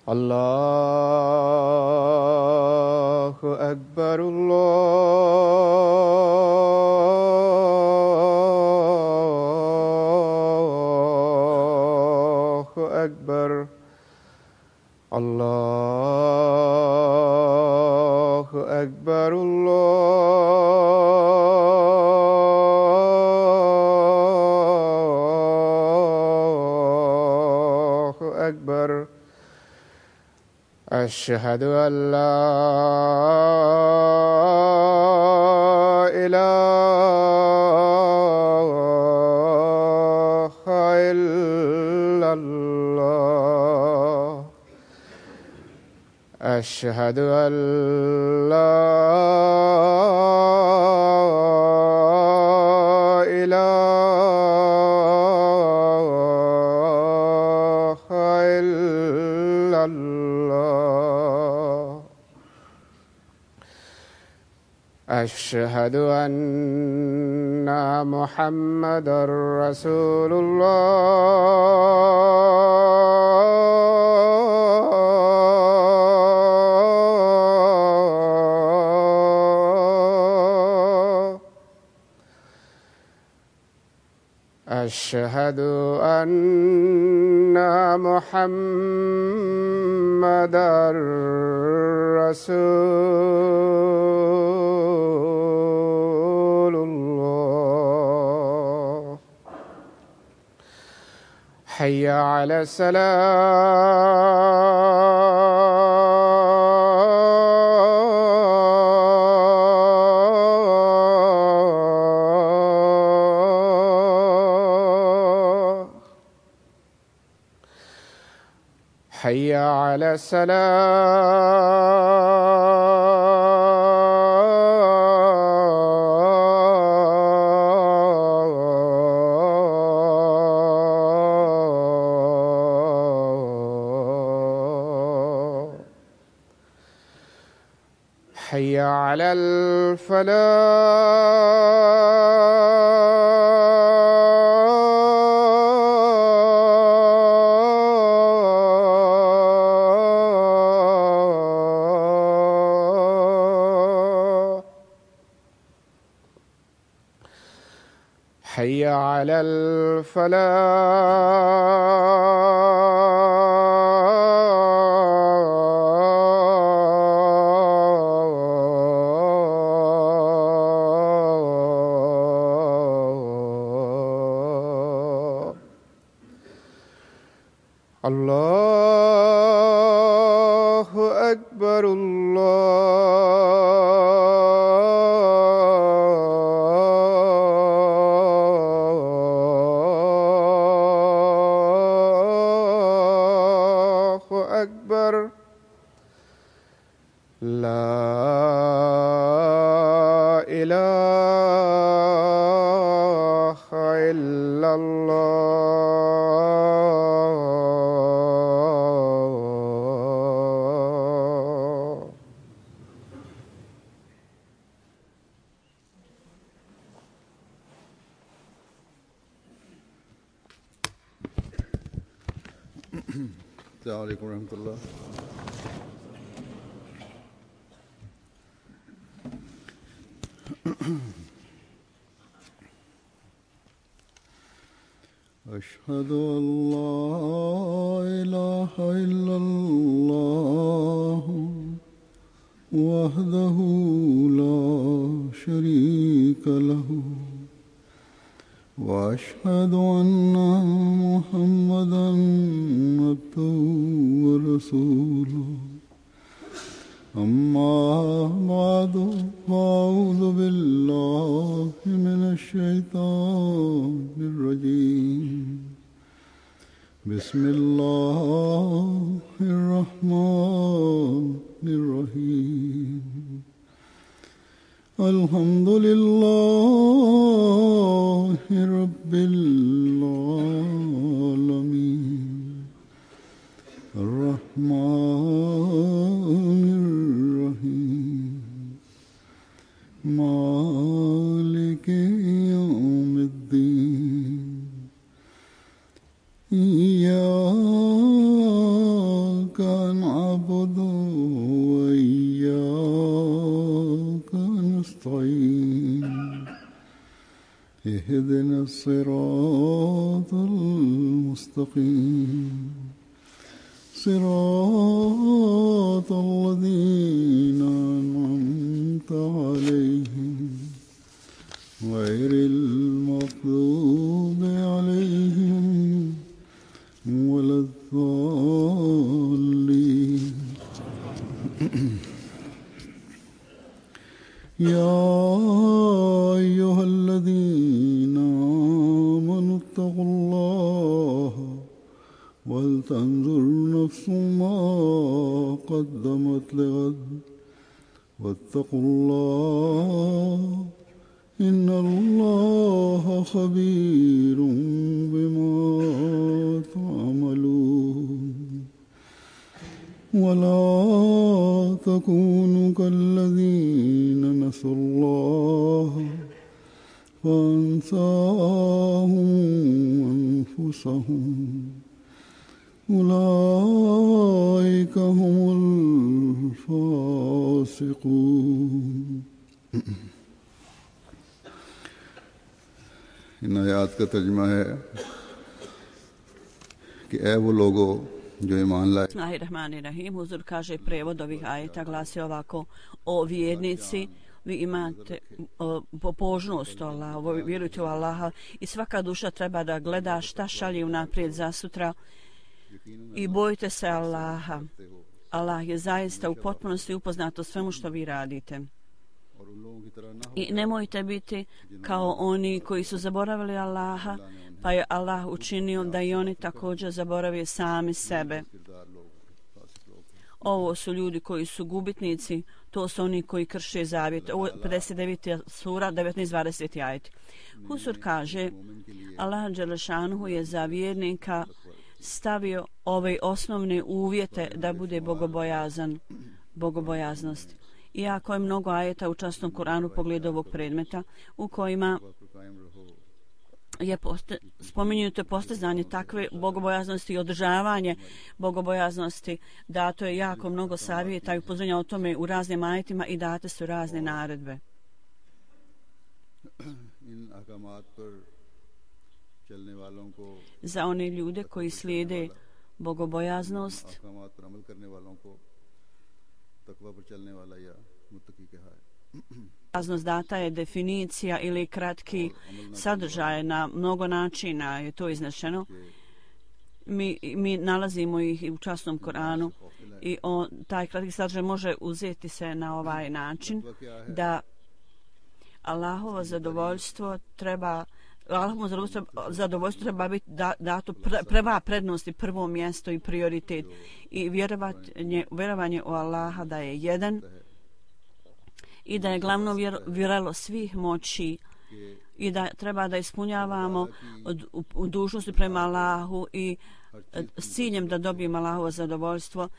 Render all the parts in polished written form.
الله أكبر الله أكبر الله أكبر الله أكبر أشهد أن لا إله إلا الله أشهد أن لا إله إلا الله أشهد أن محمدًا رسول الله أشهد أن محمدًا رسول الله حي على الصلاة حي على الصلاة حي على الفلاح حي على الفلاح الله أكبر الله أكبر لا إله إلا الله السلام عليكم ورحمة الله. أشهد أن لا إله إلا الله وحده لا شريك له وأشهد أن محمدًا عبده ورسوله أما بعد فأعوذ بالله من الشيطان الرجيم بسم الله الرحمن الرحيم الحمد لله رب العالمين الرحمن الرحيم مالك يوم الدين إياك اهدنا الصراط المستقيم صراط الذين أنعمت عليهم غير المغضوب عليهم ولا الضالين يا أيها الذين آمنوا اتقوا الله ولتنظر نفس ما قدمت لغد واتقوا الله إن الله خبير بما تعملون ولا تكونوا كالذين نسوا الله فأنساهم أنفسهم أولئك هم الفاسقون इन आयात का तर्जुमा है कि ऐ वो लोगों जो ईमान लाए. Bismillahirrahmanirrahim. Huzur kaže prevod ovih ajeta glasi ovako: o vjernici, vi imate pobožnost Allaha, vjerujte u Allaha i svaka duša treba da gleda šta šalje unaprijed za sutra i bojite se Allaha. Allah je zaista u potpunosti upoznat o svemu što vi radite. I nemojte biti kao oni koji su zaboravili Allaha, pa je Allah učinio da i oni također zaborave sami sebe. Ovo su ljudi koji su gubitnici, to su oni koji krše zavjet. Ovo je 59. sura, 19-20. ajet. Husur kaže, Allah dželešanuhu je za vjernika stavio ove osnovne uvjete da bude bogobojaznost. Iako je mnogo ajeta u časnom Kuranu pogledu ovog predmeta u kojima je spominjuto postizanje takve bogobojaznosti i održavanje bogobojaznosti, dato je jako mnogo savjeta i upozorenja o tome u raznim ajetima i date su razne naredbe. Za one ljude koji slijede bogobojaznost, data je definicija ili kratki sadržaj, na mnogo načina je to iznešeno. Mi nalazimo ih u časnom Koranu i taj kratki sadržaj može uzeti se na ovaj način da Allahovo zadovoljstvo treba biti dato prva prednost i prvo mjesto i prioritet i vjerovanje u Allaha da je jedan i da je glavno vjeralo svih moći i da treba da ispunjavamo dužnosti prema Allahu i s ciljem da dobijemo Allahovo zadovoljstvo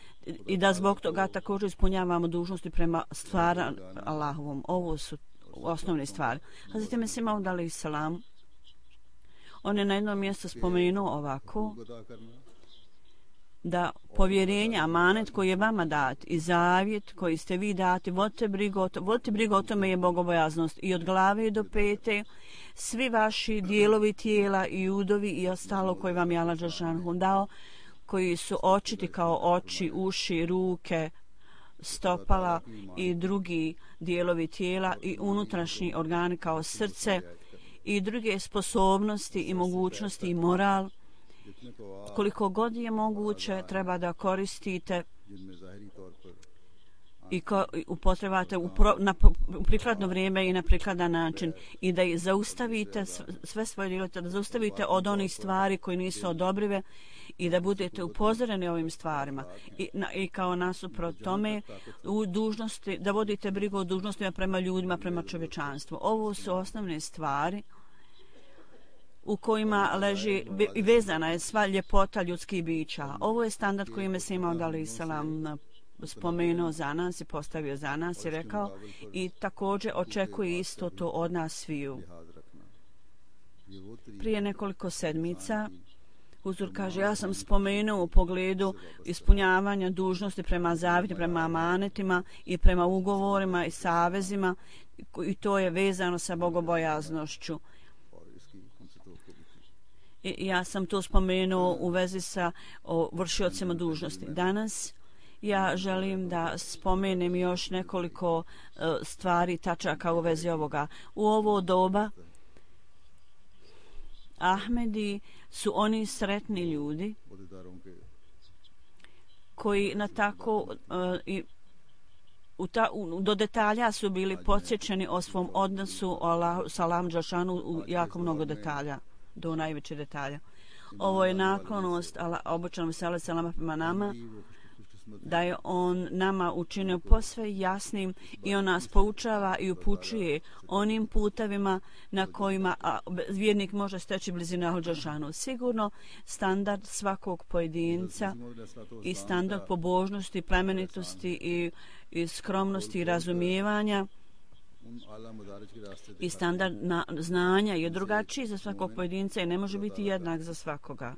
i da zbog toga također ispunjavamo dužnosti prema stvara Allahovom. Ovo su osnovne stvari. Hazreti Mesih Maud alejhi selam, on je na jednom mjestu spomenuo ovako da povjerenje, amanet koji je vama dat i zavjet koji ste vi dati, vodite brigu o tome je bogobojaznost i od glave do pete svi vaši dijelovi tijela i udovi i ostalo koji vam je Allah dželešanu dao, koji su očiti kao oči, uši, ruke, stopala i drugi dijelovi tijela i unutrašnji organi kao srce i druge sposobnosti i mogućnosti i moral, koliko god je moguće treba da koristite i upotrebate na prikladno vrijeme i na prikladan način i da zaustavite sve svoje djelote, da zaustavite od onih stvari koji nisu odobrive i da budete upozoreni ovim stvarima i kao nasuprot tome u dužnosti, da vodite brigu o dužnostima prema ljudima, prema čovječanstvu. Ovo su osnovne stvari u kojima leži i vezana je sva ljepota ljudskih bića. Ovo je standard koji Mesih Maud alejhi selam spomenuo za nas i postavio za nas i rekao i također očekuje isto to od nas sviju. Prije nekoliko sedmica Huzur kaže, ja sam spomenuo u pogledu ispunjavanja dužnosti prema zavjetu, prema amanetima i prema ugovorima i savezima i to je vezano sa bogobojaznošću. Ja sam to spomenuo u vezi sa vršiocima dužnosti. Danas ja želim da spomenem još nekoliko stvari, tačaka u vezi ovoga. U ovo doba Ahmedi su oni sretni ljudi koji na tako do detalja su bili podsjećeni o svom odnosu sa Allahom dželešanu u jako mnogo detalja, do najveće detalja. Ovo je naklonost obočanom selama prema nama, da je on nama učinio posve jasnim i on nas poučava i upućuje onim putevima na kojima vjernik može steći blizinu Allahu dželešanu. Sigurno standard svakog pojedinca i standard pobožnosti, plemenitosti i skromnosti i razumijevanja i standard znanja je drugačiji za svakog pojedinca i ne može biti jednak za svakoga.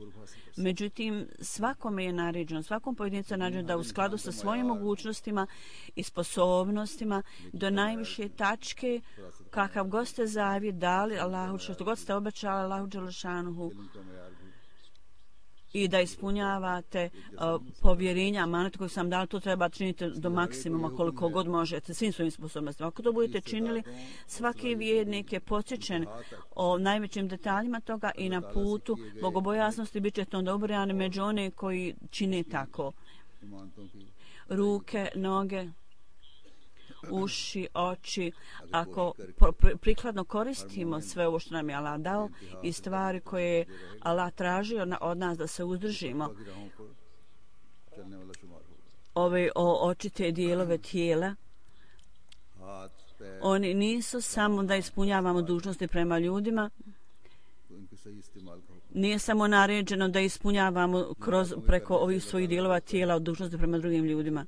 Međutim, svakome je naređeno, svakom pojedincu je naređeno da u skladu sa svojim mogućnostima i sposobnostima do najviše tačke, kakav god ste zavjet dali Allahu, što god ste obećali Allahu dželešanuhu, i da ispunjavate povjerenja, amanet koji sam dali, to treba činiti do maksimuma koliko god možete, svim svojim sposobnostima. Ako to budete činili, svaki vjernik je podsjećen o najvećim detaljima toga i na putu bogobojaznosti bit ćete onda ubrojani među one koji čine tako. Ruke, noge, uši, oči, ako prikladno koristimo sve ovo što nam je Allah dao i stvari koje je Allah tražio od nas da se uzdržimo, ove očite dijelove tijela, oni nisu samo da ispunjavamo dužnosti prema ljudima, nije samo naređeno da ispunjavamo preko ovih svojih dijelova tijela od dužnosti prema drugim ljudima.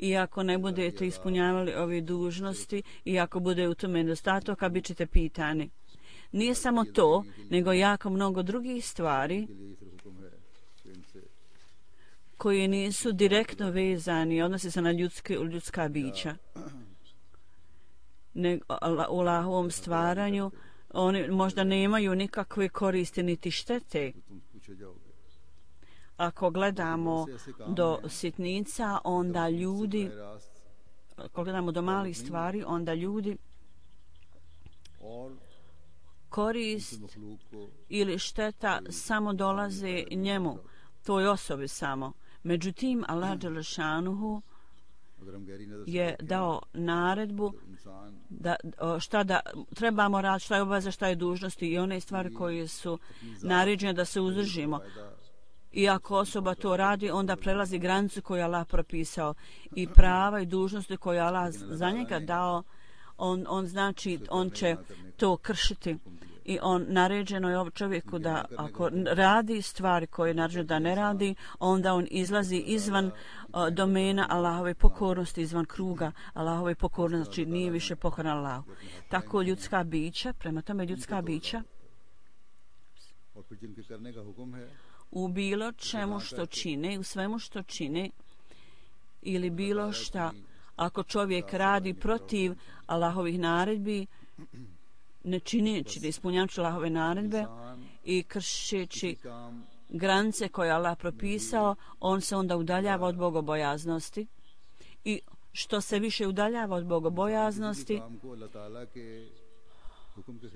I ako ne budete ispunjavali ove dužnosti i ako bude u tome nedostatoka, bit ćete pitani. Nije samo to, nego jako mnogo drugih stvari koji nisu direktno vezani, odnose se na ljudska bića. U Allahovom stvaranju oni možda nemaju nikakve koristi niti štete. Ako gledamo do sitnica, onda ljudi, ako gledamo do malih stvari, onda ljudi korist ili šteta samo dolaze njemu, toj osobi samo. Međutim, Allah dželešanuhu je dao naredbu šta da trebamo raditi, šta je obaveza, šta je dužnosti i one stvari koje su naređene da se uzdržimo. I ako osoba to radi, onda prelazi granicu koju je Allah propisao i prava i dužnosti koje je Allah za njega dao, on će to kršiti. I naređeno je čovjeku da ako radi stvari koje je naređeno da ne radi, onda on izlazi izvan domena Allahove pokornosti, izvan kruga Allahove pokornosti, znači nije više pokoran Allahu. Tako ljudska bića, prema tome ljudska bića, u bilo čemu što čine, u svemu što čine ili bilo šta, ako čovjek radi protiv Allahovih naredbi, ne čineći, ne ispunjavajući Allahove naredbe i kršeći granice koje je Allah propisao, on se onda udaljava od bogobojaznosti i što se više udaljava od bogobojaznosti,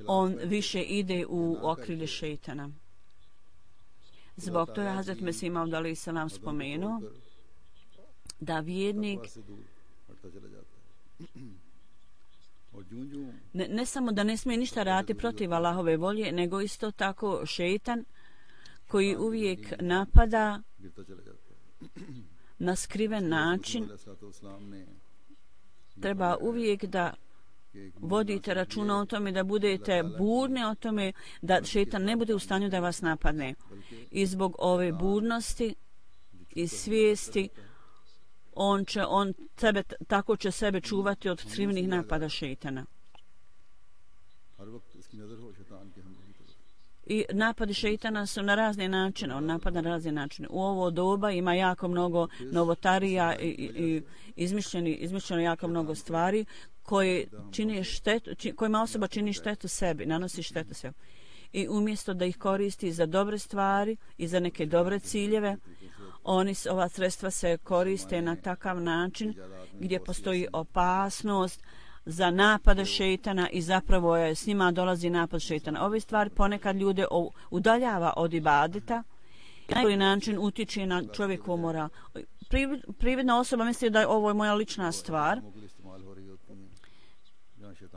on više ide u okrilje šejtana. Zbog toga je Hazret Mesih Maud alejhi selam spomenuo da vjernik ne samo da ne smije ništa raditi protiv Allahove volje, nego isto tako šejtan koji uvijek napada na skriven način. Treba uvijek da vodite računa o tome, da budete budni o tome, da šejtan ne bude u stanju da vas napadne. I zbog ove budnosti i svijesti tako će sebe čuvati od skrivenih napada šejtana. I napadi šejtana su na razne načine, on napada na razne načine. U ovo doba ima jako mnogo novotarija i izmišljeno jako mnogo stvari koje čini štetu, kojima osoba čini štetu sebi, nanosi štetu sebi. i umjesto da ih koristi za dobre stvari i za neke dobre ciljeve, ova sredstva se koriste na takav način gdje postoji opasnost za napade šejtana i zapravo je s njima dolazi napad šejtana. Ove stvari ponekad ljude udaljava od ibadeta i na najbolji način utiče na čovjekovu moral. Prividna osoba misli da je ovo moja lična stvar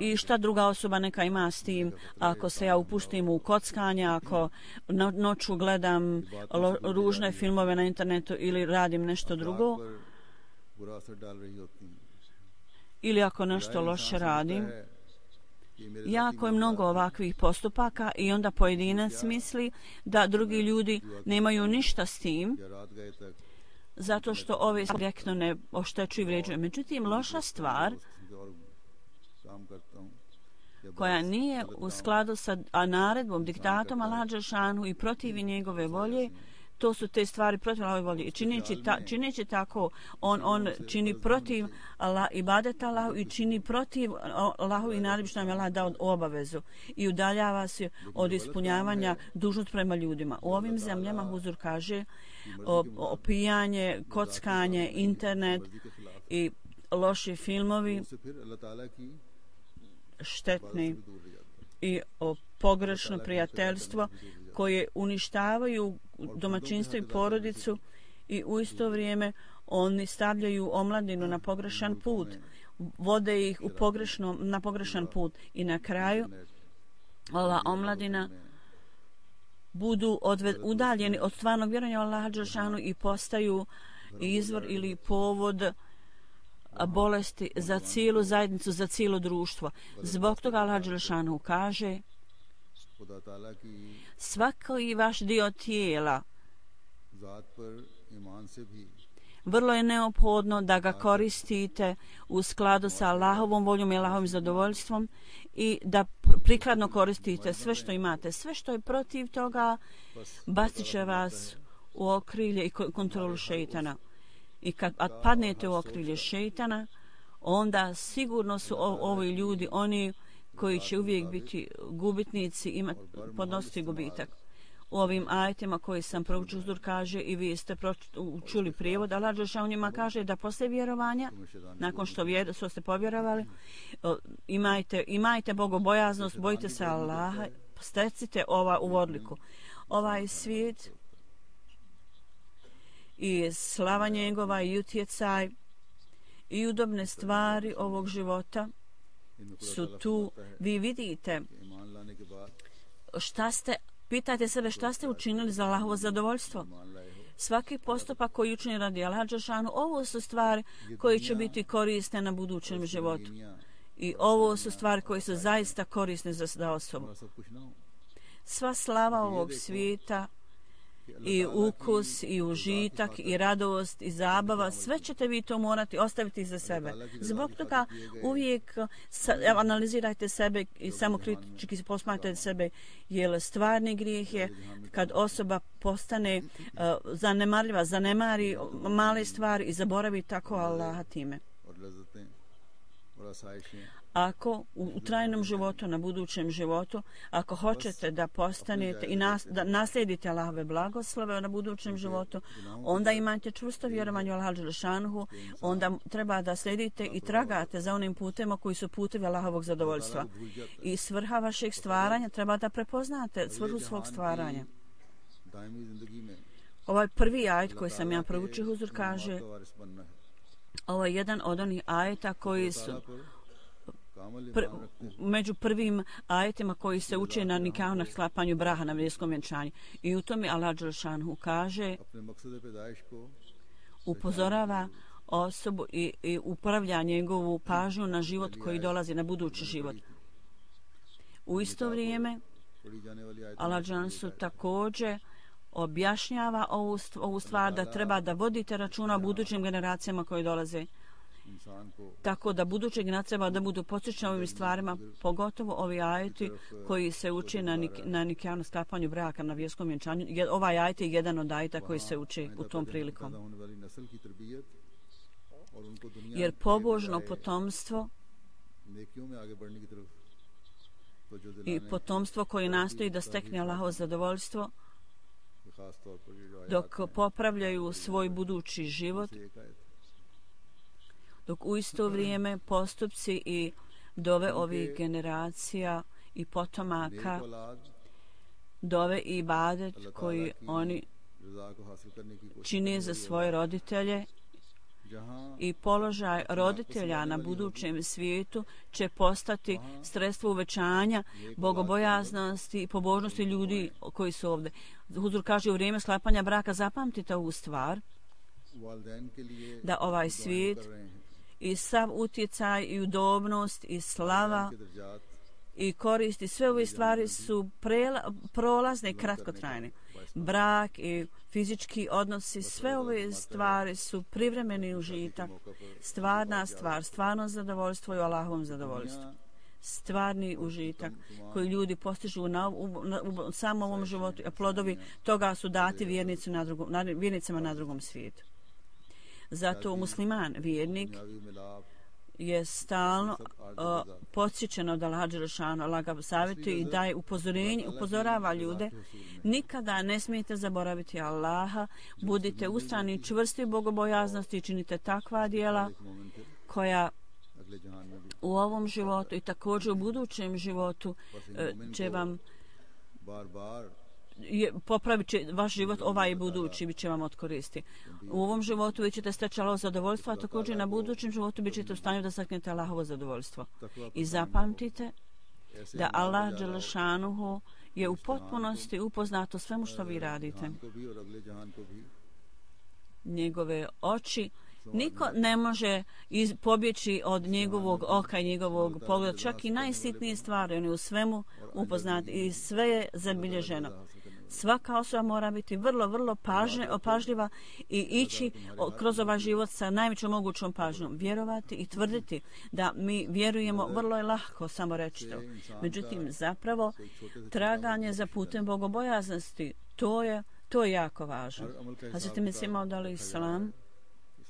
i šta druga osoba neka ima s tim. Ako se ja upustim u kockanje, ako noću gledam ružne filmove na internetu ili radim nešto drugo, ili ako nešto loše radim, jako je mnogo ovakvih postupaka i onda pojedinac misli da drugi ljudi nemaju ništa s tim zato što ove direktno ne oštećuju i vrijeđuju. Međutim, loša stvar koja nije u skladu sa naredbom, diktatom Allaha dželešanu i protivi njegove volje, to su te stvari protiv Allahove volje. I čineći tako, on čini protiv ibadeta Allahu i čini protiv Allahu i naredbi što nam je Allah dao obavezu i udaljava se od ispunjavanja dužnosti prema ljudima. U ovim zemljama Huzur kaže opijanje, kockanje, internet i loši filmovi štetni i pogrešno prijateljstvo koje uništavaju domaćinstvo i porodicu i u isto vrijeme oni stavljaju omladinu na pogrešan put, vode ih na pogrešan put i na kraju ova omladina budu udaljeni od stvarnog vjerovanja u Allaha dželešanu i postaju izvor ili povod bolesti za cijelu zajednicu, za cijelo društvo. Zbog toga Allah dželešanu kaže svaki vaš dio tijela vrlo je neophodno da ga koristite u skladu sa Allahovom voljom i Allahovim zadovoljstvom i da prikladno koristite sve što imate. Sve što je protiv toga bacit će vas u okrilje i kontrolu šejtana. I kad padnete u okrilje šejtana, onda sigurno su ovi ljudi oni koji će uvijek biti gubitnici i podnositi gubitak. U ovim ajetima koji sam proučio, Huzur kaže i vi ste čuli prijevod, Allah dželešanu njima kaže da posle vjerovanja, nakon što ste povjerovali, imajte bogobojaznost, bojite se Allaha, stecite u odliku. Ovaj svijet i slava njegova i utjecaj i udobne stvari ovog života su tu. Vi vidite pitajte sebe šta ste učinili za Allahovo zadovoljstvo. Svaki postupak koji učini radi Allaha dželešanu, ovo su stvari koje će biti korisne na budućem životu. I ovo su stvari koje su zaista korisne za osobu. Sva slava ovog svijeta i ukus i užitak i radost i zabava, sve ćete vi to morati ostaviti za sebe. Zbog toga uvijek analizirajte sebe i samokritički posmatrajte sebe, jer stvarni grijeh je kad osoba postane zanemarljiva, zanemari male stvari i zaboravi tako Allaha time. Ako u trajnom životu, na budućem životu, ako hoćete da postanete i da naslijedite Allahove blagoslove na budućem životu, onda imate čvrsto vjerovanje u Allaha dželešanu, onda treba da slijedite i tragate za onim putem koji su putevi Allahovog zadovoljstva. I svrha vašeg stvaranja treba da prepoznate svrhu svog stvaranja. Ovaj prvi ajet koji sam ja proučio, Huzur kaže, ovo je jedan od onih ajeta koji su među prvim ajetima koji se uče na nikahu, na sklapanju braha, na vjerskom vjenčanju. I u tome Allah dželešanu kaže, upozorava osobu i upravlja njegovu pažnju na život koji dolazi, na budući život. U isto vrijeme Allah dželešanu također objašnjava ovu stvar da treba da vodite računa o budućim generacijama koje dolaze. Tako da buduće generacije treba da budu podsjećane ovim stvarima, pogotovo ovi ajeti koji se uči na nikahu, sklapanju braka, na vjerskom vjenčanju. Ovaj ajet je jedan od ajeta koji se uči u tom prilikom. Jer pobožno potomstvo तो जो i दिलाने potomstvo koje nastoji da stekne Allahovo zadovoljstvo के खास तौर पर ये जो आयत dok popravljaju svoj budući život, से एक आयत dok u isto vrijeme postupci i dove ovih generacija i potomaka, नेक औलाद dove i ibadet koji oni रजा को हासिल करने की कोशिश čine za svoje roditelje जहां i položaj roditelja na budućem svijetu će postati sredstvo uvećanja bogobojaznosti i pobožnosti ljudi koji su ovdje. Huzur kaže u vrijeme sklapanja braka zapamtite ovu stvar, वालिदैन के लिए da ovaj svijet कर रहे हैं i sav utjecaj i udobnost i slava के दर्जात i koristi, sve ove stvari su prolazne i kratkotrajne. Brak i fizički odnosi, sve ove stvari su privremeni užitak, stvarna stvar, stvarno zadovoljstvo i Allahovom zadovoljstvu. Stvarni užitak koji ljudi postižu u samom ovom životu, a plodovi toga su dati vjernicama na drugom svijetu. Zato musliman, vjernik, दुनियावी मिलाप je stalno podsjećen od Allaha dželešanu, Allah ga savjetuje i daje upozorava ljude. Nikada ne smijete zaboraviti Allaha, budite ustrajni i čvrsti u bogobojaznosti i činite takva djela मोमिन थे koja अगले जहान में भी u ovom životu i također u budućem životu će vam bar bar popravit će vaš život, ovaj i budući bit će vam od koristi. U ovom životu vi ćete steći Allahovo zadovoljstvo, a također na budućem životu bit ćete u stanju da steknete Allahovo zadovoljstvo. I zapamtite da Allah dželešanuhu je u potpunosti upoznat o svemu što vi radite. को भी और अगले जहान को भी Njegove oči niko ne može pobjeći od njegovog oka i njegovog pogleda, čak i najsitnije stvari, on je u svemu upoznat i sve je zabilježeno. Svaka osoba mora biti vrlo, vrlo pažljiva i ići kroz ovaj život sa najvećom mogućom pažnjom. Vjerovati i tvrditi da mi vjerujemo vrlo je lahko, samo reći to. Međutim, zapravo, traganje za putem bogobojaznosti, to je jako važno. Hazreti Mesih Maud alejhi selam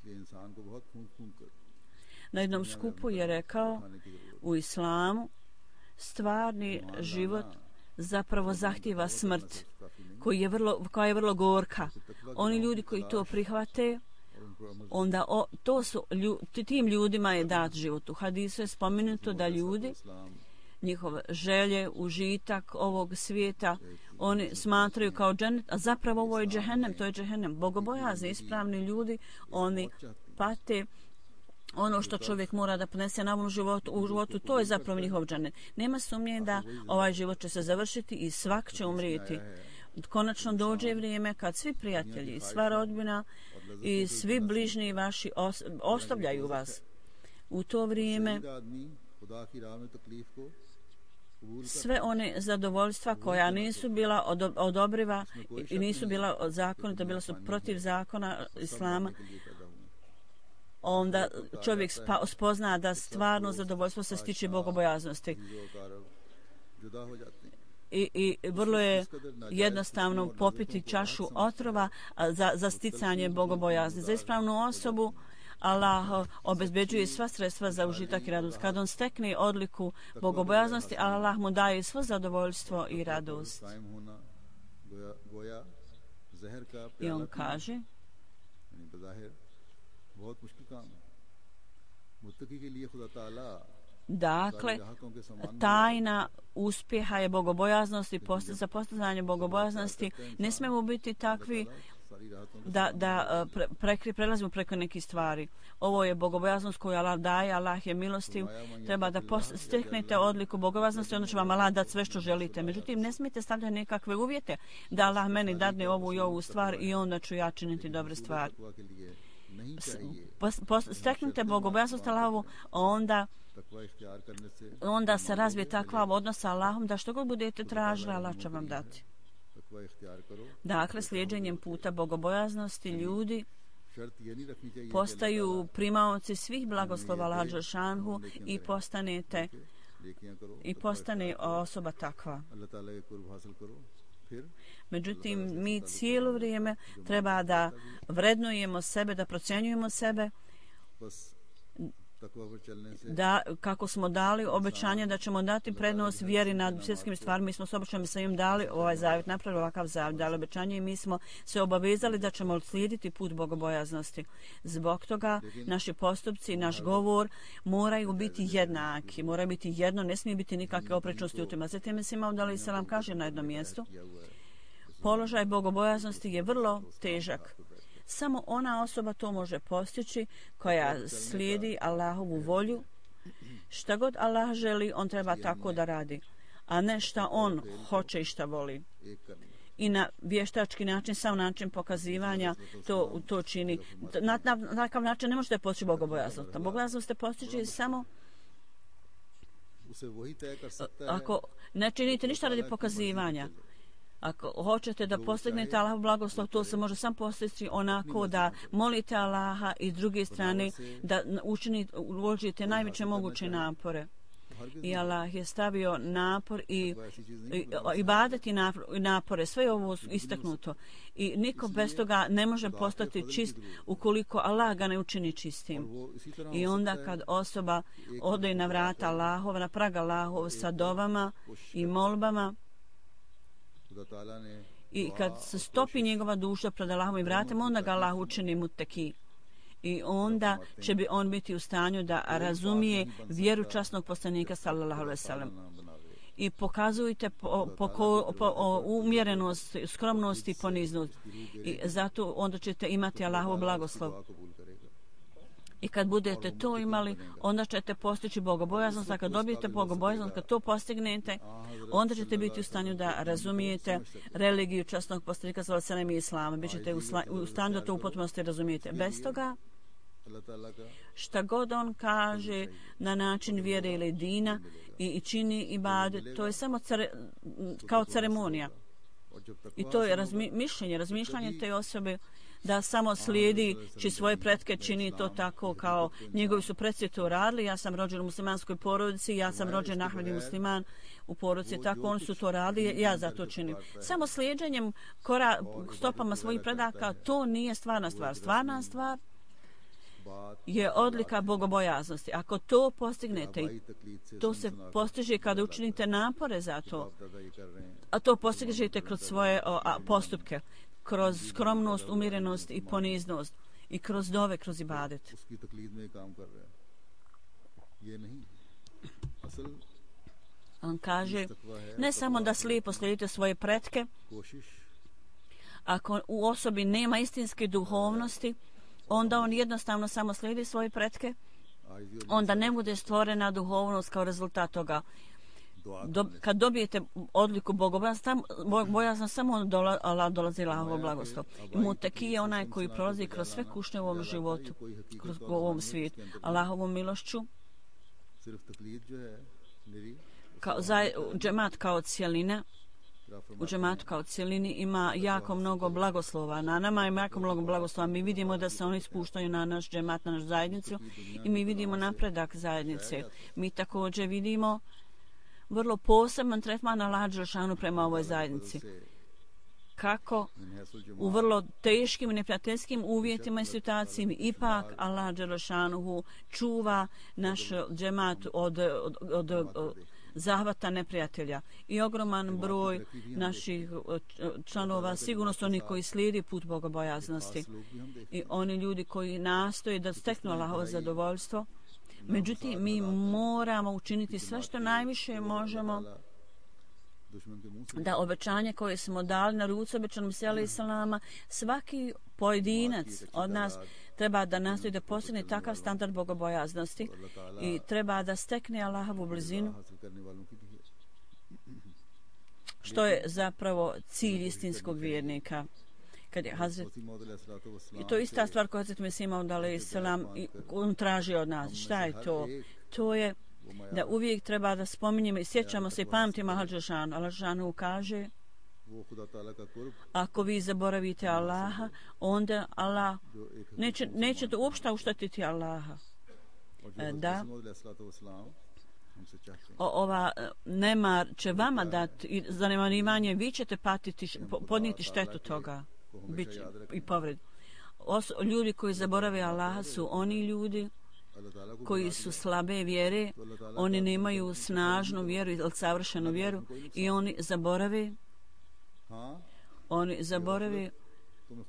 इसलिए इंसान को बहुत फूंक फूंक कर na jednom skupu je rekao u islamu stvarni život zapravo zahtijeva smrt koja je vrlo gorka. Oni ljudi koji to prihvate, onda tim ljudima je dat život. U hadisu je spomenuto da ljudi, njihove želje, užitak ovog svijeta, oni smatraju kao džennet, a zapravo ovo je džehennem, to je džehennem. Bogobojazni, ispravni ljudi, oni pate ono što čovjek mora da ponese na ovom životu, to je zapravo njihov džennet. Nema sumnje da ovaj život će se završiti i svak će umrijeti. Konačno dođe vrijeme kad svi prijatelji, sva rodbina i svi bližnji vaši ostavljaju vas. U to vrijeme sve one zadovoljstva koja nisu bila odobriva i nisu bila zakonita, bila su protiv zakona islama, onda čovjek spozna da stvarno zadovoljstvo se stiče bogobojaznosti. I vrlo je jednostavno popiti čašu otrova za sticanje bogobojazni. Za ispravnu osobu Allah obezbeđuje sva sredstva za užitak i radost. Kad on stekne odliku bogobojaznosti, Allah mu daje svo zadovoljstvo i radost. I on kaže, dakle, tajna uspjeha je bogobojaznost i za postizanje bogobojaznosti ne smemo biti takvi da prelazimo preko nekih stvari. Ovo je bogobojaznost koju Allah daje, Allah je milostiv, treba da steknete odliku bogobojaznosti, onda će vam Allah dati sve što želite. Međutim, ne smijete stavljati nekakve uvjete da Allah meni dadne ovu i ovu stvar i onda ću ja činiti dobre stvari. Steknite bogobojaznost Allahovu, onda se razvije takva odnos sa Allahom da što god budete tražili, Allah će vam dati. Dakle, slijedženjem puta bogobojaznosti ljudi postaju primaoci svih blagoslova Allaha dželešanu i postane osoba takva. Međutim, mi cijelo vrijeme treba da vrednujemo sebe, da procjenjujemo sebe तकवा पर चलने से da kako smo dali obećanje da ćemo dati prednost vjeri nad svjetskim stvarima. Mi smo s obećanjem sa im dali ovaj zavjet, napravili ovakav zavjet, dali obećanje i mi smo se obavezali da ćemo slijediti put bogobojaznosti. Zbog toga naši postupci, naš govor moraju biti jednaki, moraju biti jedno, ne smije biti nikakve oprečnosti u tim. Zatim se Imam Alejhi selam kaže na jednom mjestu, položaj bogobojaznosti je vrlo težak. Samo ona osoba to može postići koja slijedi Allahovu volju. Šta god Allah želi, on treba tako da radi, a ne šta on hoće i šta voli. I na vještački način, sam način pokazivanja to čini. Na takav način ne možete postići bogobojaznost. Bogobojaznost ste postići samo ako ne činite ništa radi pokazivanja. Ako hoćete da postignete Allahov blagoslov, to se može sam postići onako da molite Allaha i s druge strane da uložite najveće moguće napore. I Allah je stavio napor i ibadet i napore, sve je ovo istaknuto. I niko bez toga ne može postati čist ukoliko Allah ga ne učini čistim. I onda kad osoba ode na vrata Allahova, na prag Allahova sa dovama i molbama, i kad se stopi njegova duša pred Allahovim vratima, onda ga Allah učini muteki. I onda će on biti u stanju da razumije vjeru časnog poslanika sallallahu alejhi ve sellem. I pokazujte umjerenost, skromnost i poniznost. I zato onda ćete imati Allahov blagoslov. I kad budete to imali, onda ćete postići bogobojaznost, a kad dobijete bogobojaznost, kad to postignete, onda ćete biti u stanju da razumijete religiju časnog poslanika sallallahu alejhi ve sellem i islama. Bićete u stanju da to u potpunosti razumijete. Bez toga, šta god on kaže na način vjere ili dina i čini ibadet, to je samo kao ceremonija. I to je razmišljanje te osobe da samo slijedi či svoje pretke čini to tako kao njegovi su predci to radili. Ja sam rođen u muslimanskoj porodici, ja sam rođen Ahmed i musliman u porodici, tako oni su to radili, ja za to činim. Samo slijeđenjem stopama svojih predaka, to nije stvarna stvar. Stvarna stvar je odlika bogobojaznosti. Ako to postignete, to se postiže kada učinite napore za to, a to postižete kroz svoje postupke, kroz skromnost, umjerenost i poniznost i kroz dove, kroz ibadet. On kaže, ne samo da slijepo slijedite svoje pretke, ako u osobi nema istinske duhovnosti, onda on jednostavno samo slijedi svoje pretke, onda ne bude stvorena duhovnost kao rezultat toga. Kad dobijete odliku bogobojaznosti, samo Allah dolazi Allahovo blagoslov. I muteki je onaj koji prolazi kroz sve kušnje u ovom životu, kroz ovom svijetu. Allahovom milošću, džemat kao cijelina, u džematu kao cijelini ima jako mnogo blagoslova. Na nama ima jako mnogo blagoslova. Mi vidimo da se oni spuštaju na naš džemat, na našu zajednicu i mi vidimo napredak zajednice. Mi također vidimo vrlo poseban tretman Allaha dželešanu prema ovoj zajednici. Kako u vrlo teškim i neprijateljskim uvjetima i situacijama ipak Allah dželešanu čuva naš džemat od zahvata neprijatelja. I ogroman broj naših članova, sigurno su oni koji slijedi put bogobojaznosti. I oni ljudi koji nastoje da steknu Allahovo zadovoljstvo. Međutim, mi moramo učiniti sve što najviše možemo da obećanje koje smo dali na ruci obećanom alejhi selama, svaki pojedinac od nas treba da nastoji da postigne takav standard bogobojaznosti i treba da stekne Allahovu blizinu, što je zapravo cilj istinskog vjernika. Kad je i to je ista stvar koja Hazret Mesih Maud alejhi selam on traži od nas. Šta je to? To je da uvijek treba da spominjemo i sjećamo se i pamtimo Allah dželešanu kaže, ako vi zaboravite Allaha, onda Allah nećete uopšte uštetiti Allaha. Da, ova nemar će vama dati zanemarivanje, vi ćete podnijeti štetu toga i povred. Ljudi koji zaborave Allaha su oni ljudi अल्लाह ताला को koji su slabe vjere, oni nemaju snažnu vjeru ili savršenu vjeru i oni zaborave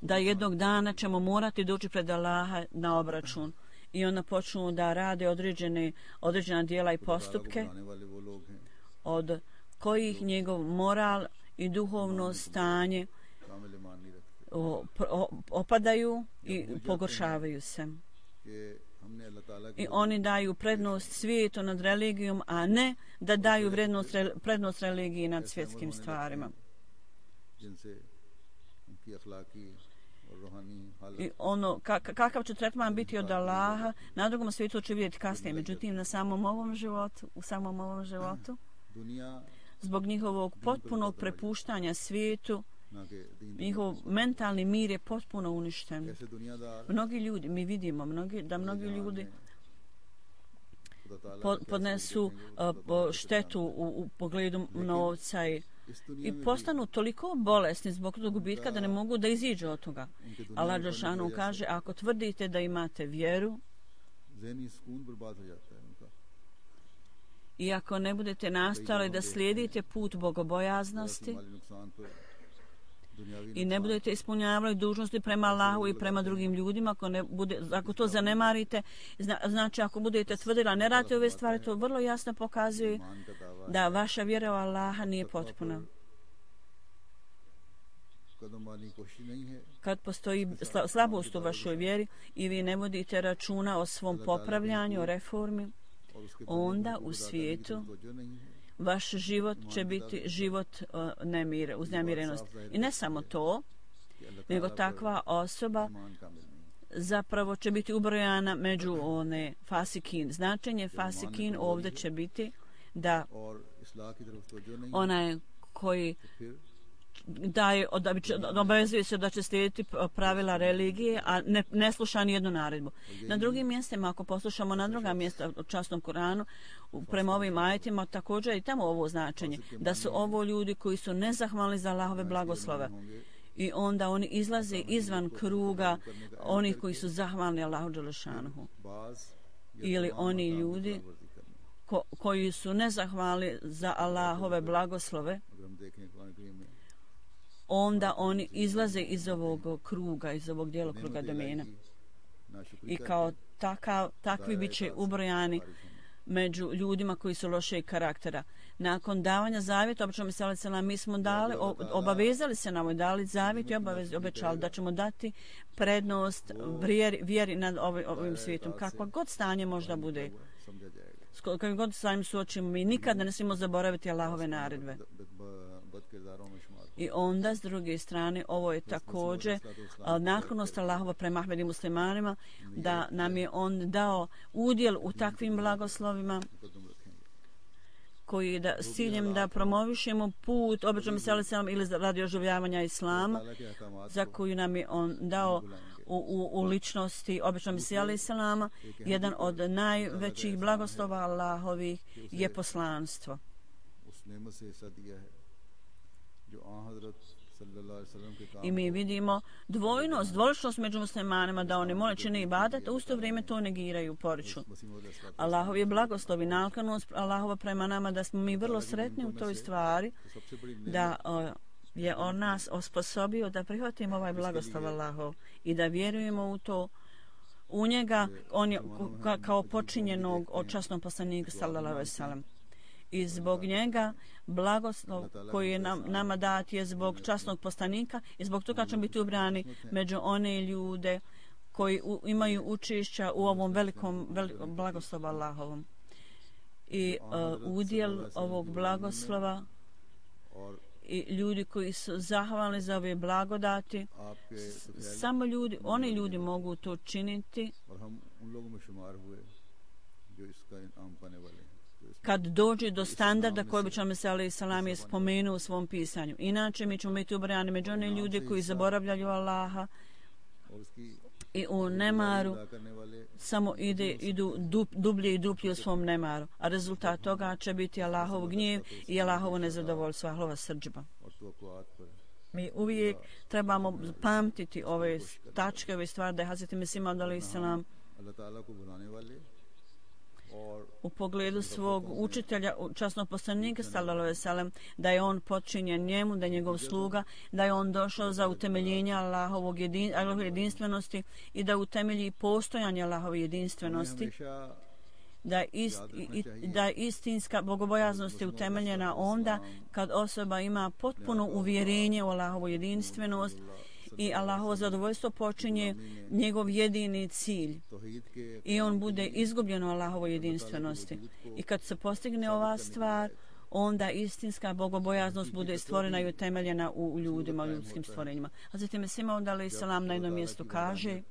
da jednog dana ćemo morati doći pred Allaha na obračun. I onda počnu da rade određena djela i postupke od kojih njegov moral i duhovno stanje opadaju i pogoršavaju se. I oni daju prednost svijetu nad religijom, a ne da daju prednost religiji nad svjetskim stvarima. I ono, kakav će tretman biti od Allaha, na drugom svijetu će vidjeti kasnije. Međutim, u samom ovom životu, zbog njihovog potpunog prepuštanja svijetu, njihov mentalni mir je potpuno uništen. Mnogi ljudi, mi vidimo da mnogi ljudi podnesu štetu u pogledu novca i postanu toliko bolesni zbog tog gubitka da ne mogu da iziđu od toga. Allah dželešanu kaže, ako tvrdite da imate vjeru i ako ne budete nastali da slijedite put bogobojaznosti i ne budete ispunjavali dužnosti prema Allahu i prema drugim ljudima, ako to zanemarite, znači ako budete tvrdili, a ne radite ove stvari, to vrlo jasno pokazuje da vaša vjera u Allaha nije potpuna. Kad postoji slabost u vašoj vjeri i vi ne vodite računa o svom popravljanju, o reformi, onda u svijetu vaš život će biti život uznemirenosti. I ne samo to, nego takva osoba zapravo će biti ubrojana među one fasikin. Značenje fasikin ovdje će biti da onaj koji obavezuje se da će slijediti pravila religije, a ne sluša ni jednu naredbu. Na drugim mjestima, ako poslušamo na druga mjesta u časnom Kuranu, prema ovim ajetima također i tamo ovo značenje, da su ovo ljudi koji su nezahvalni za Allahove blagoslove. I onda oni izlaze izvan kruga onih koji su zahvalni Allahu dželešanuhu. Ili oni ljudi koji su nezahvalni za Allahove blagoslove, onda oni izlaze iz ovog kruga, iz ovog djelokruga domena. I kao takvi bit će ubrojani među ljudima koji su lošeg karaktera. Nakon davanja zavjeta, mi smo obavezali se nam, dali zavjet i obećali da ćemo dati prednost vjeri nad ovim svijetom. Kakva god stanje možda bude, kakvim god stanjem suočimo, mi nikada ne smijemo zaboraviti Allahove naredbe. I onda, s druge strane, ovo je također naklonost Allahova prema Ahmed i muslimanima, da nam je on dao udjel u takvim blagoslovima koji s ciljem da promovišemo put običnom selam ili radi oživljavanja islama, za koju nam je on dao u ličnosti običnom selam. Jedan od najvećih blagoslova Allahovih je poslanstvo. I mi vidimo dvoličnost među muslimanima, da oni mole čine ibadet, a u isto vrijeme to negiraju, poriču. Allahov je blagoslov i naklonost Allahova prema nama, da smo mi vrlo sretni u toj stvari, da je on nas osposobio da prihvatimo ovaj blagoslov Allahov i da vjerujemo u to, u njega, on je kao počinjenog od časnog poslanika sallallahu alejhi ve sellem. I zbog njega blagoslov koji je nama dat je zbog časnog poslanika i zbog toga ćemo biti ubrani među one ljude koji imaju učešća u ovom velikom blagoslovu Allahovom. I udjel ovog blagoslova i ljudi koji su zahvalni za ove blagodati, samo oni ljudi mogu to činiti kad dođe do standarda koji bi Muhammed s.a.v. je spomenuo u svom pisanju. Inače, mi ćemo biti ubrojani među one ljude koji zaboravljaju Allaha i u nemaru samo idu dublje i duplje u svom nemaru. A rezultat toga će biti Allahov gnjev i Allahovo nezadovoljstvo, Allahova srdžba. Mi uvijek trebamo pamtiti ove tačke, ove stvari da je Hazreti Mesih a.s. u pogledu svog učitelja, časnog poslanika sallallahu alejhi ve sellem, da je on počinjen njemu, da je njegov sluga, da je on došao za utemeljenje Allahove jedinstvenosti i da utemelji postojanje Allahove jedinstvenosti, da istinska bogobojaznost je utemeljena onda kad osoba ima potpuno uvjerenje u Allahovu jedinstvenost i Allahovo zadovoljstvo počinje njegov jedini cilj i on bude izgubljen u Allahovoj jedinstvenosti. I kad se postigne ova stvar, onda istinska bogobojaznost bude stvorena i utemeljena u ljudima, u ljudskim stvorenjima. Hazreti Mesih Maud alejhi selam na jednom mjestu kaže: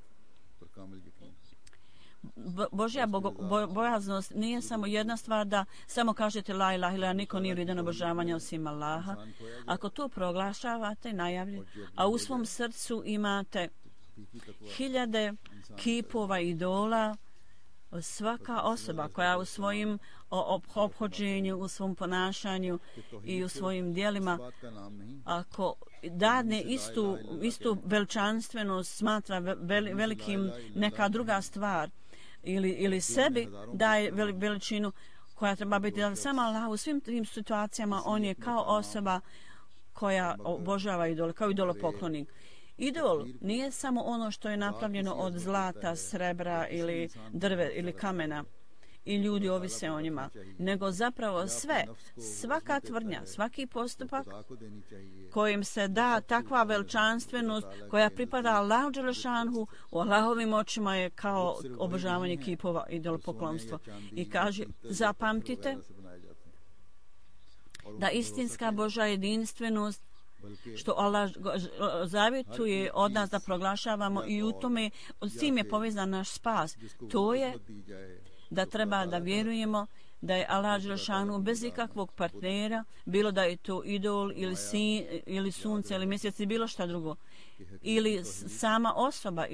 Božja bojaznost nije samo jedna stvar da samo kažete la ilaha illallah, niko nije vrijedan obožavanja osim Allaha. Ako to proglašavate, najavljujete, a u svom srcu imate hiljade kipova idola, svaka osoba koja u svojim ophođenju, u svom ponašanju i u svojim djelima, ako dadne istu veličanstvenost, smatra velikim neka druga stvar, ili sebi daje veličinu koja treba biti sama Allah, u svim tim situacijama on je kao osoba koja obožava idol, kao idolopoklonik. Idol nije samo ono što je napravljeno od zlata, srebra ili drve ili kamena i ljudi ovise o njima, nego zapravo svaka tvrdnja, svaki postupak kojim se da takva veličanstvenost koja pripada Allahu dželešanhu u Allahovim očima je kao obožavanje kipova i idolopoklonstvo. I kaže, zapamtite da istinska Božja jedinstvenost što Allah zavjetuje od nas da proglašavamo i u tome, s tim je povezan naš spas. To je da treba da vjerujemo da je Allah dželešanu bez ikakvog partnera, bilo da je to idol ili sunce ili mjesec ili bilo šta drugo, ili sama osoba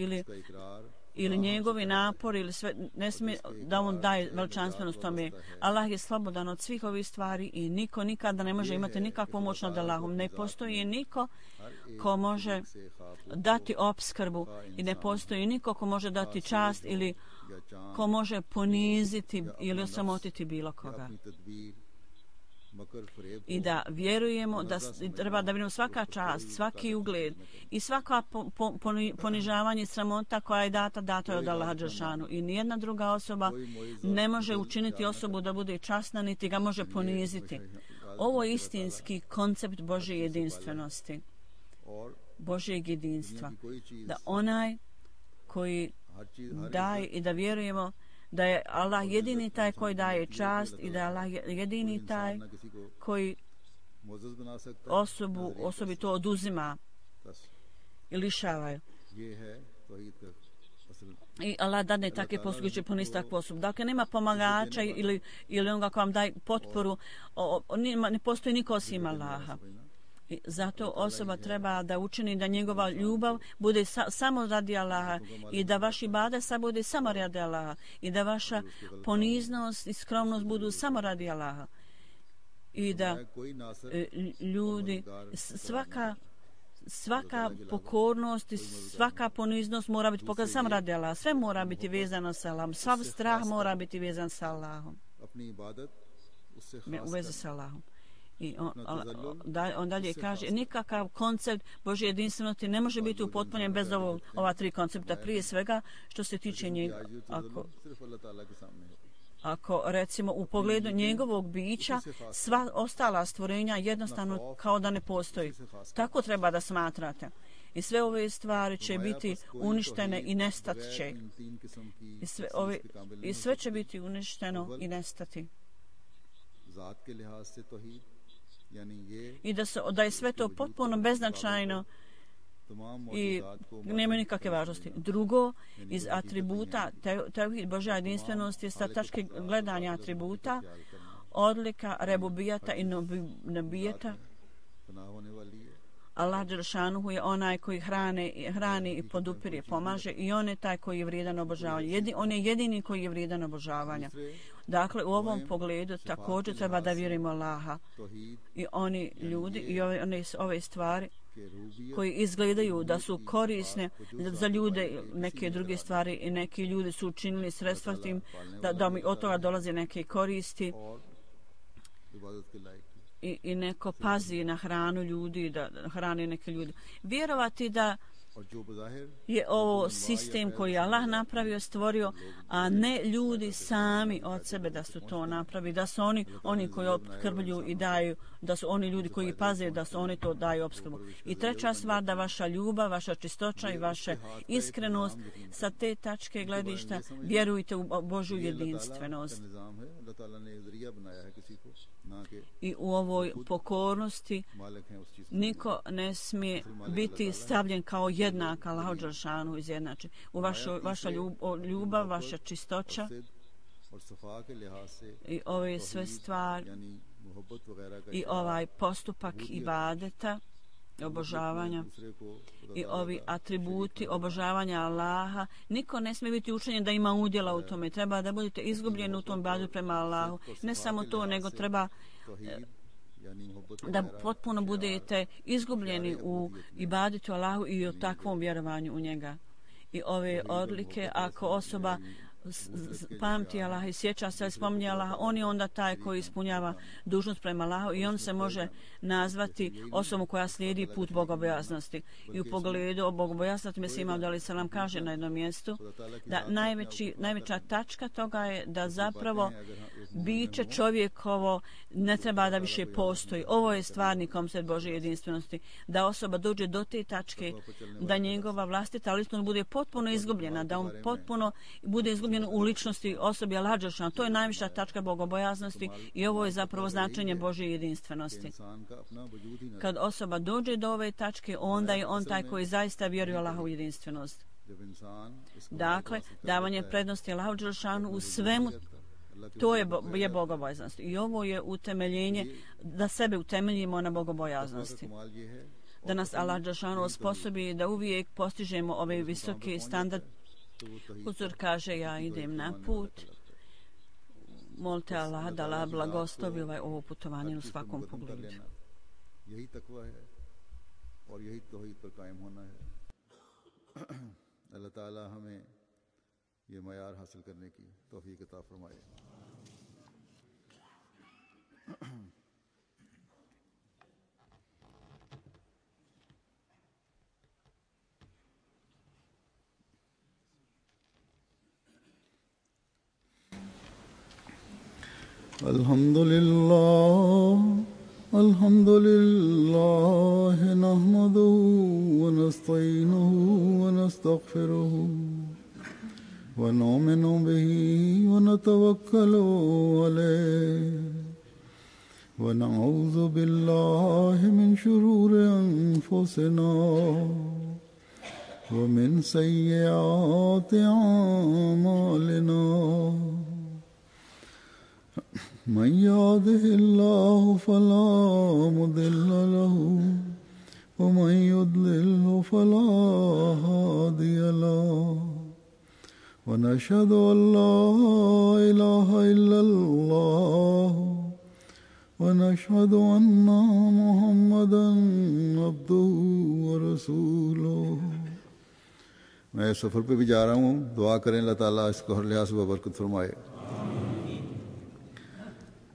ili njegovi napori ili sve, ne smije da on daje veličanstvenost tome. Allah je slobodan od svih ovih stvari i niko nikada ne može imati nikakvu moć nad Allahom. Ne postoji niko ko može dati opskrbu i ne postoji niko ko može dati čast ili ko može poniziti ili osamotiti bilo koga. I da vjerujemo da treba da vidimo svaka čast, svaki ugled i svaka ponižavanje i sramota koja je data je od Allaha dželešanu. I nijedna druga osoba ne može učiniti osobu da bude časna, niti ga može poniziti. Ovo je istinski koncept Božje jedinstvenosti, Božjeg jedinstva. Da onaj koji daje i da vjerujemo da je Allah jedini taj koji daje čast i da je Allah jedini taj koji osobi to oduzima i lišava. I Allah dadne takve posluge će ponesti takvu osobu. Dakle, nema pomagača ili onoga ko vam daje potporu, ne postoji niko osim Allaha. I zato osoba treba da učini da njegova ljubav bude samo radi Allaha i da vaš ibadet bude samo radi Allaha i da vaša poniznost i skromnost budu samo radi Allaha. I da ljudi, svaka pokornost i svaka poniznost mora biti pokazana samo radi Allaha. Sve mora biti vezano sa Allahom. Sav strah mora biti vezan sa Allahom. U vezi sa Allahom. I on dalje kaže, nikakav koncept Božje jedinstvenosti ne može biti upotpunjen bez ova tri koncepta. Prije svega, što se tiče njega, ako recimo u pogledu njegovog bića, sva ostala stvorenja jednostavno kao da ne postoji. Tako treba da smatrate. I sve ove stvari će biti uništene i nestat će. I sve će biti uništeno i nestati. I da je sve to potpuno beznačajno i nema nikakve važnosti. Drugo, iz atributa tevhid Božja jedinstvenost je sa tačke gledanja atributa odlika rebubijata i nabijeta. Allah dželešanu je onaj koji hrani i podupire, pomaže i on je taj koji je vrijedan obožavanja. On je jedini koji je vrijedan obožavanja. Dakle, u ovom pogledu također treba da vjerujemo Allaha i oni ljudi i ove stvari koji izgledaju da su korisne za ljude, neke druge stvari i neki ljudi su učinili sredstva tim da mi od toga dolaze neke koristi i neko pazi na hranu ljudi, da hrani neke ljudi. Vjerovati da je ovo sistem koji Allah napravio, stvorio, a ne ljudi sami od sebe da su to napravi, da su oni koji opskrbljuju i daju, da su oni ljudi koji paze da su oni to daju opskrbu. I treća stvar, da vaša ljubav, vaša čistoća i vaša iskrenost sa te tačke gledišta vjerujte u Božju jedinstvenost. I u ovoj pokornosti niko ne smije biti stavljen kao jednak Allahu dželešanu izjednačen. U vaša ljubav, vaša čistoća i ove sve stvari i ovaj postupak ibadeta, obožavanja i ovi atributi obožavanja Allaha, niko ne smije biti učenjen da ima udjela u tome. Treba da budete izgubljeni u tom ibadetu prema Allahu. Ne samo to, nego treba da potpuno budete izgubljeni u ibadetu Allahu i o takvom vjerovanju u njega. I ove odlike, ako osoba pamti Allah i sjeća se, spominje Allah, on je onda taj koji ispunjava dužnost prema Allahu i on se može nazvati osobom koja slijedi put bogobojaznosti. I u pogledu bogobojaznosti Mesih Maud alejhi selam kaže na jednom mjestu da najveća tačka toga je da zapravo biće čovjekovo ne treba da više postoji. Ovo je stvarni koncept Božje jedinstvenosti. Da osoba dođe do te tačke, da njegova vlastita ličnost bude potpuno izgubljena, da on potpuno bude izgubljen u ličnosti osobi Allaha dželešanu. To je najviša tačka bogobojaznosti i ovo je zapravo značenje Božje jedinstvenosti. Kad osoba dođe do ove tačke, onda je on taj koji zaista vjeruje Allahovu jedinstvenost. Dakle, davanje prednosti Allahu dželešanu u svemu, to je bogobojaznost. I ovo je utemeljenje, da sebe utemeljimo na bogobojaznosti. Da nas Allah dželešanu osposobi da uvijek postižemo ove visoke standarde. Huzur kaže, ja idem na put. Molite Allah da Allah blagoslovi ovo putovanje u svakom pogledu. Allah Ta'ala hame ye mayar hasil karne ki tawfiq ata farmaye. Alhamdulillah nahmaduhu wa nasta'inuhu wa nastaghfiruhu wa nu'minu bihi wa natawakkalu alayhi wa na'udhu billahi min shururi anfusina wa min sayyiati a'malina. من يهده الله فلا مضل له ومن يضلل فلا هادي له ونشهد أن لا إله إلا الله ونشهد أن محمدا عبده ورسوله. मैं सफ़र पे भी जा रहा हूँ, दुआ करें अल्लाह ताला इसको हर लिहाज से बरकत फरमाए.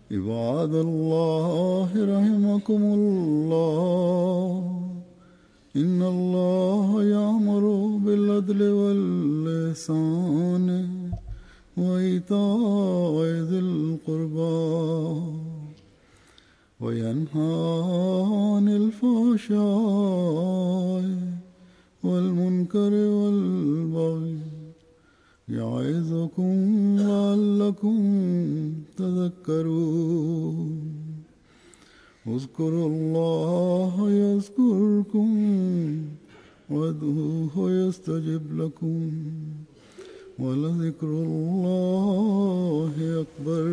عباد الله رحمكم الله إن الله يأمر بالعدل والإحسان وإيتاء ذي القربى وينهى عن الفحشاء والمنكر والبغي يعظكم لعلكم تذكرون. اذكروا الله يذكركم وادعوه يستجب لكم ولذكر الله أكبر.